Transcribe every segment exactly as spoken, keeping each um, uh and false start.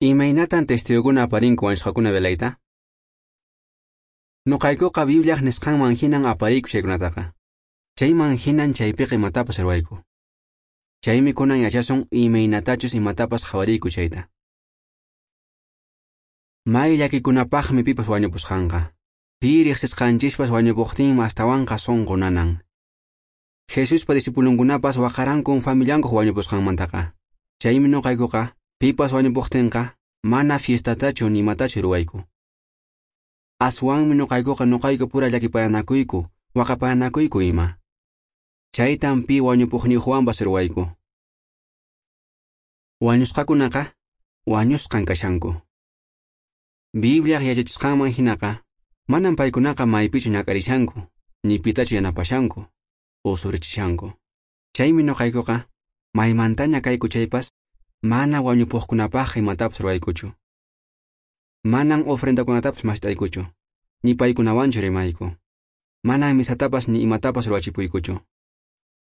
Imaynatan testigokuna aparinku wañusqakuna velayta? Nuqaykuqa Bibliaq nisqanman hinan apariyku chaykunataqa. Chayman hinan chaypiqa imatapas ruwayku. Chaymi kunan yachasun imaynatachus imatapas qhawariyku chayta. May llakikunapaqmi pipas wañupusqanqa. Pi riqsisqanchispas wañupuqtinmi astawanqa sunqu nanan. Jesuspa discipulunkunapas waqarankun familiankuq wañupusqanmantaqa. Chaymi nuqaykuqa pipas wañupuqtinqa mana fiestatachu ni imatachu ruwayku. Aswanmi nuqaykuqa nuqayku pura llakipayanakuyku, waqapayanakuyku ima. Chaytan pi wañupuqniyuqwanpas ruwayku. Wañusqakunaqa wañusqan kashanku. Bibliaq yachachisqanman hinaqa manan paykunaqa maypichu ñak'arishanku, ni pitachu yanapashanku, usurichishanku. Chaymi nuqaykuqa maymantaña kayku chaypas mana wañupuqkunapaqqa imatapas ruwaykuchu. Manan ofrendakunatapas mast'aykuchu, ni paykunawanchu rimayku. Manan misatapas ni imatapas ruwachipuykuchu.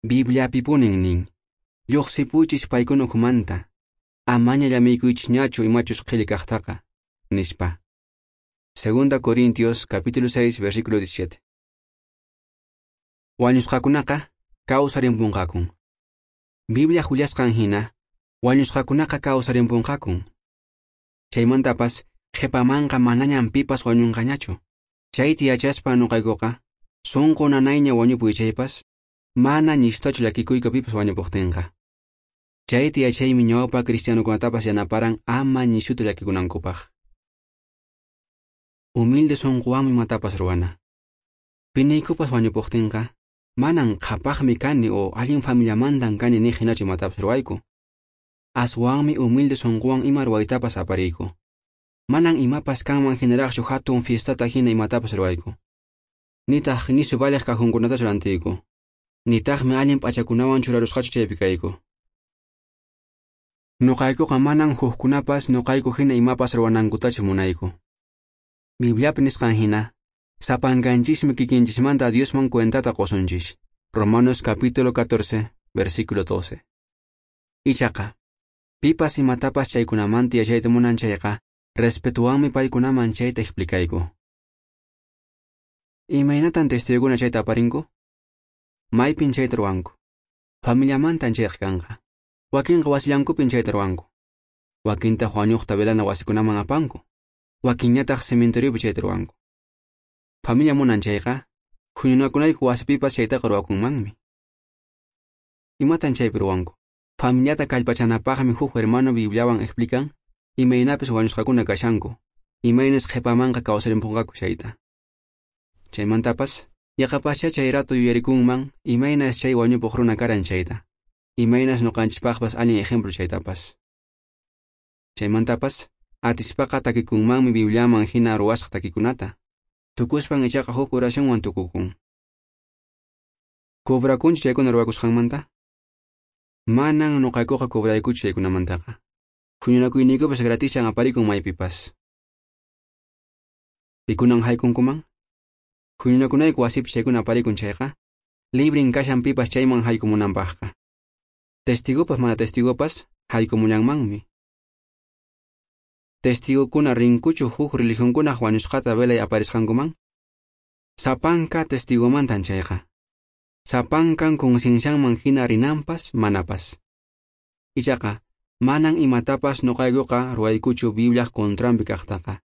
Bibliapipunin nin, lluqsipuychis paykuna ukhumanta, amaña llamiykuychisñachu imachus qhilli kaqtaqa, nispa. Segunda Corintios capítulo seis versículo diecisiete. Wañusqakunaqa kawsarimpunqakun. Biblia willasqan hina, wañusqakunaqa kawsarimpunqakun. Chaymantapas qhipamanqa manañan pipas wañunqañachu. Chayta yachaspa nuqaykuqa sunqu nanayña wañupuy chaypas mana ñistachu llakikuyku pipas wañupuqtinqa. Chayta yachaymi ñawpa cristianokunatapas yanaparan ama ñishuta llakikunankupaq. Humilde sunquwanmi imatapas ruwana. Piniykupas wañupuqtinqa manan qhapaqmi kani o allin familiamantan kani niq hinachu imatapas ruwayku. Aswanmi humilde sunquwan ima ruwaytapas apariyku. Manan imapas kanman hinaraqchu hatun fiestata hina imatapas ruwayku. Nitaq nisu valiq kajunkunatachu rantiyku. Nitaqmi allin p'achakunawan churarusqachu chaypi kayku. Nuqaykuqa manan hukkunapas nuqayku hina imapas ruwanankutachu munayku. Bibliapi nisqan hina, sapankanchismi kikinchismanta Diosman cuentata qusunchis. Romanos capítulo catorce, versículo doce. Ichaqa, pipas imatapas chaykunamanta yachayta munan chayqa, respetuwanmi paykunaman chayta explicayku. Imaynatan testigokuna chayta aparinku? Maypin chayta ruwanku. Familiamantan chayqa kanqa. Wakinqa wasillankupin chayta ruwanku. Wakintaq wañuqta velana wasikunaman apanku. Wakinñataq cementeriopi chayta ruwanku. Familia munan chayqa, huñunakunayku wasipipas chaytaqa ruwakunmanmi. Imatan chaypi ruwanku? Familiata kallpachanapaqmi huk hermano Bibliawan explican imaynapis wañusqakuna kashanku, imaynas qhipamanqa kawsarimpunqaku chayta. Chaymantapas, yaqapaschá chay rato yuyarikunman imaynas chay wañupuq runa karan chayta, imaynas nuqanchispaqpas allin ejemplo chaytapas. Chaymantapas, atispaqa takikunmanmi Bibliaman hina ruwasqa takikunata. Tukuspan ichaqa huk oracionwan tukukun. Cobrakunchu chaykuna ruwakusqanmanta? Manan nuqaykuqa cobraykuchu chaykunamantaqa. Huñunakuyniykupas gratishan aparikun maypipas. Pikunan haykunkuman? Huñunakunayku wasipi chaykuna aparikun chayqa, librin kashan pipas chayman haykumunanpaqqa. Testigopas mana testigopas haykumullanmanmi. Testigokuna rinkuchu huk religionkunaq wañusqata velay aparisqankuman? Sapanka testigomantan chayqa. Sapankan conciencianman hina rinanpas manapas. Ichaqa, manan imatapas nuqaykuqa ruwaykuchu Bibliaq contranpi kaqtaqa.